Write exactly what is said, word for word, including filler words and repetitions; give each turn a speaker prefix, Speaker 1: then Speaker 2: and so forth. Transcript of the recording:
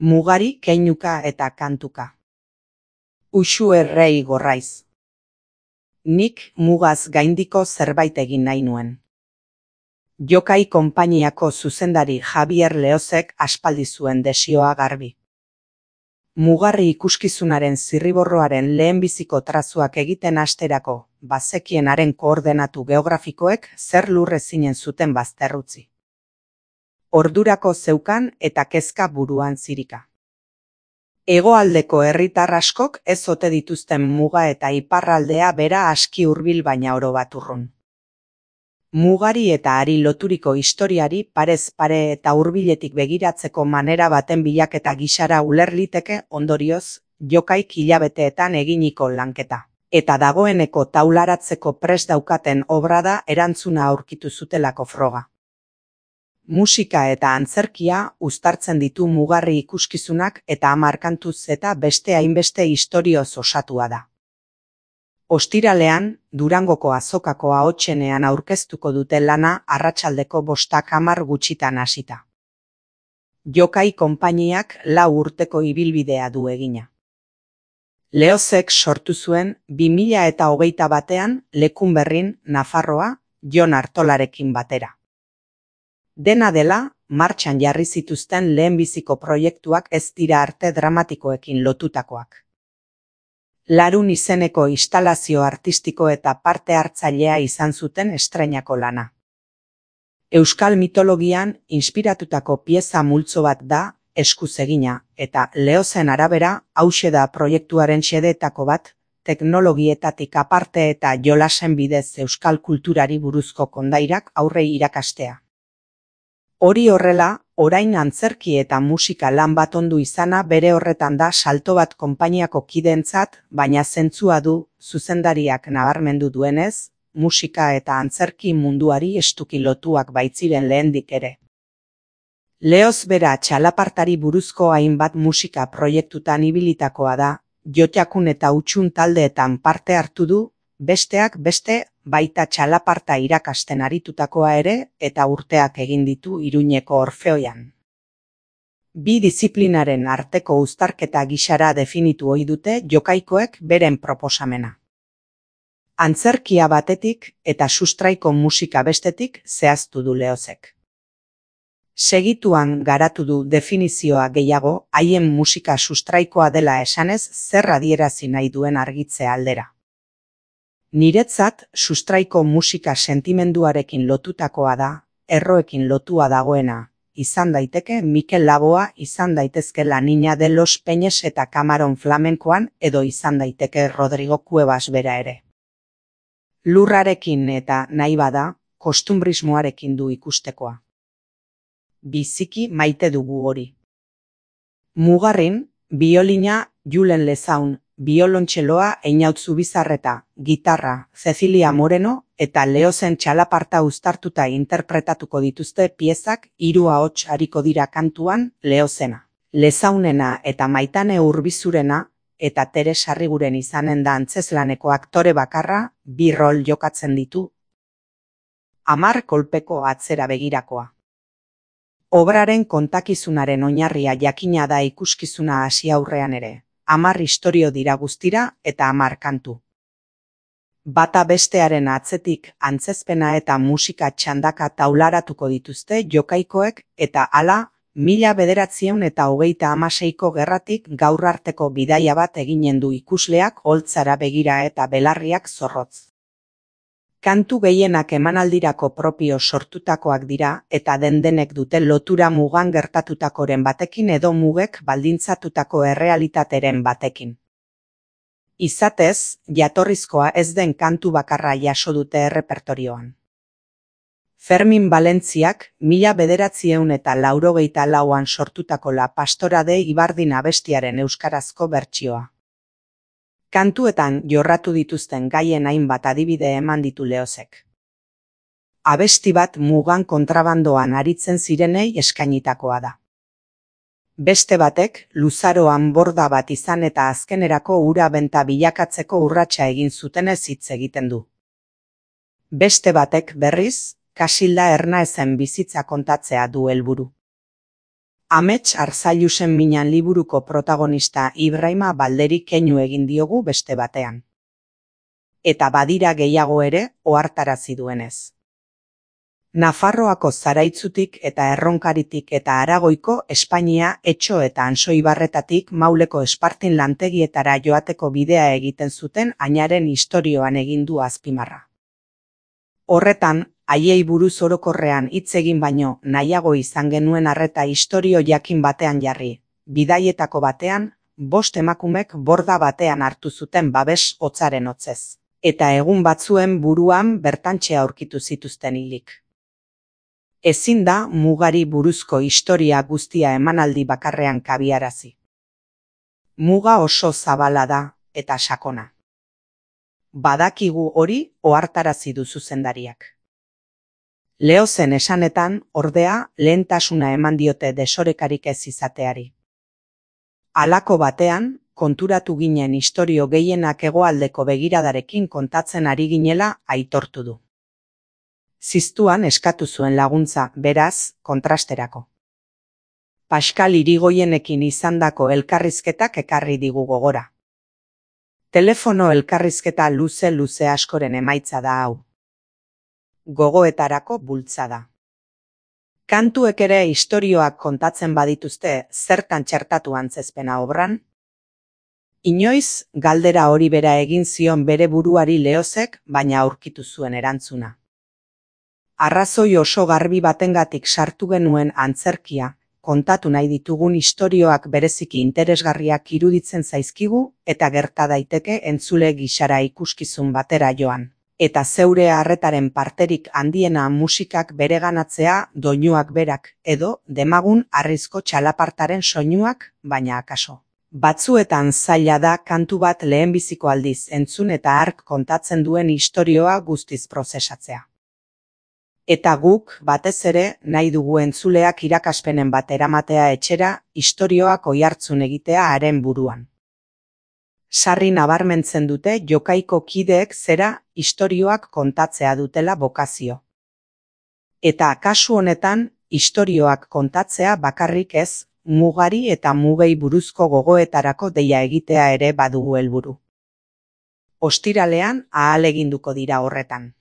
Speaker 1: Mugari, keinuka eta kantuka. Uxu errei gorraiz. Nik mugaz gaindiko zerbait egin nahi nuen. Jokai konpainiako zuzendari Javier Leozek aspaldi zuen desioa garbi. Mugarri ikuskizunaren zirriborroaren lehenbiziko trazuak egiten hasterako, bazekienaren koordenatu geografikoek zer lurrezinen zuten bazterrutzi. Ordurako zeukan eta kezka buruan zirika. Hegoaldeko herritar askok ez ote dituzten muga eta iparraldea bera aski hurbil baina oro bat urrun. Mugari eta hari loturiko historiari parez pare eta hurbiletik begiratzeko manera baten bilaketa gisara uler liteke ondorioz, jokaik hilabeteetan eginiko lanketa. Eta dagoeneko taularatzeko prest daukaten obra da erantzuna aurkitu zutelako froga. Musika eta antzerkia uztartzen ditu mugarri ikuskizunak eta hamar kantuz eta beste hainbeste istorioz osatua da. Ostiralean, Durangoko azokako ahotsenean aurkeztuko dute lana arratsaldeko bostak hamar gutxitan hasita. Jokai konpainiak lau urteko ibilbidea du egina. Leozek sortu zuen bi mila eta hogeita batean Lekunberrin, Nafarroa, Jon Artolarekin batera. Dena dela, martxan jarri zituzten lehenbiziko proiektuak ez dira arte dramatikoekin lotutakoak. Larun izeneko instalazio artistiko eta parte hartzailea izan zuten estreinako lana. Euskal mitologian inspiratutako pieza multzo bat da, eskuz egina, eta Leozen arabera hauxe da proiektuaren xedeetako bat, teknologietatik aparte eta jolasen bidez euskal kulturari buruzko kondairak aurrei irakastea. Hori horrela, orain antzerki eta musika lan bat ondu izana bere horretan da salto bat konpainiako kideentzat, baina zentzua du, zuzendariak nabarmendu duenez, musika eta antzerki munduari estuki lotuak baitziren lehendik ere. Leoz bera txalapartari buruzko hainbat musika proiektutan ibilitakoa da, Jotjakun eta Utxun taldeetan parte hartu du, besteak beste, baita txalaparta irakasten aritutakoa ere eta urteak egin ditu Iruñeko Orfeoian. Bi diziplinaren arteko uztarketa gisara definitu ohi dute jokaikoek beren proposamena. Antzerkia batetik eta sustraiko musika bestetik zehaztu du Leozek. Segituan garatu du definizioa gehiago haien musika sustraikoa dela esanez zer adierazi nahi duen argitze aldera. Niretzat, sustraiko musika sentimenduarekin lotutakoa da, erroekin lotua dagoena, izan daiteke Mikel Laboa, izan daitezke La Niña de los Peñes eta Kamaron flamenkoan, edo izan daiteke Rodrigo Cuevas bera ere. Lurrarekin eta nahi bada, kostumbrismoarekin du ikustekoa. Biziki maite dugu hori. Mugarrin, biolina Julen Lezaun, biolontxeloa Einaut Zubizarreta, gitarra Cecilia Moreno eta Leozen txalaparta uztartuta interpretatuko dituzte piezak hiru ahots ariko dira kantuan Leozena, Lezaunena eta Maitane Urbizurena eta Tere Sarriguren izanen da antzezlaneko aktore bakarra bi rol jokatzen ditu. Hamar kolpeko atzera begirakoa. Obraren kontakizunaren oinarria jakina da ikuskizuna hasi aurrean ere. Hamar istorio dira guztira eta hamar kantu. Bata bestearen atzetik antzezpena eta musika txandaka taularatuko dituzte jokaikoek eta hala, mila bederatziehun eta hogeita hamaseiko gerratik gaur arteko bidaia bat eginen du ikusleak holtzara begira eta belarriak zorrotz. Kantu gehienak emanaldirako propio sortutakoak dira eta den-denek dute lotura mugan gertatutakoren batekin edo mugek baldintzatutako errealitateren batekin. Izatez, jatorrizkoa ez den kantu bakarra jaso dute errepertorioan. Fermin Valentziak mila bederatziehun eta laurogeita lauan sortutako La Pastora de Ibardin abestiaren euskarazko bertsioa. Kantuetan jorratu dituzten gaien hainbat adibide eman ditu Leozek. Abesti bat mugan kontrabandoan aritzen zirenei eskainitakoa da. Beste batek, luzaroan borda bat izan eta azkenerako ura benta bilakatzeko urratsa egin zutenez hitz egiten du. Beste batek, berriz, Kasilda Ernaezen bizitza kontatzea du helburu. Amets Arzailusen Minan liburuko protagonista Ibrahima Balderi keinu egin diogu beste batean. Eta badira gehiago ere ohartarazi duenez. Nafarroako Zaraitzutik eta Erronkaritik eta Aragoiko Espainia Etxo eta Ansoibarretatik Mauleko Espartin lantegietara joateko bidea egiten zuten ainaren istorioan egin du azpimarra. Horretan, haiei buruz orokorrean hitz egin baino nahiago izan genuen arreta istorio jakin batean jarri, bidaietako batean, bost emakumek borda batean hartu zuten babes hotzaren hotzez, eta egun batzuen buruan bertantxe aurkitu zituzten hilik. Ezin da mugari buruzko historia guztia emanaldi bakarrean kabiarazi. Muga oso zabala da eta sakona. Badakigu hori ohartarazi du zuzendariak. Leozen esanetan, ordea, lehentasuna eman diote desorekarik ez izateari. Halako batean, konturatu ginen istorio gehienak hegoaldeko begiradarekin kontatzen ari ginela aitortu du. Ziztuan eskatu zuen laguntza, beraz, kontrasterako. Pascal Irigoyenekin izandako elkarrizketak ekarri digu gogora. Telefono elkarrizketa luze-luze askoren emaitza da hau. Gogoetarako bultzada. Kantuek ere istorioak kontatzen badituzte zertan txertatu antzezpena obran? Inoiz, galdera hori bera egin zion bere buruari Leozek, baina aurkitu zuen erantzuna. Arrazoi oso garbi batengatik sartu genuen antzerkia, kontatu nahi ditugun istorioak bereziki interesgarriak iruditzen zaizkigu eta gerta daiteke entzule gisara ikuskizun batera joan. Eta zeure harretaren parterik handiena musikak bereganatzea doinuak berak edo demagun harrizko txalapartaren soinuak, baina akaso. Batzuetan zaila da kantu bat lehenbiziko aldiz entzun eta hark kontatzen duen istorioa guztiz prozesatzea. Eta guk, batez ere, nahi dugu entzuleak irakaspenen bat eramatea etxera, istorioak oihartzun egitea haren buruan. Sarri nabarmentzen dute jokaiko kideek zera istorioak kontatzea dutela bokazio. Eta kasu honetan, istorioak kontatzea bakarrik ez, mugari eta mugei buruzko gogoetarako deia egitea ere badugu helburu. Ostiralean ahaleginduko dira horretan.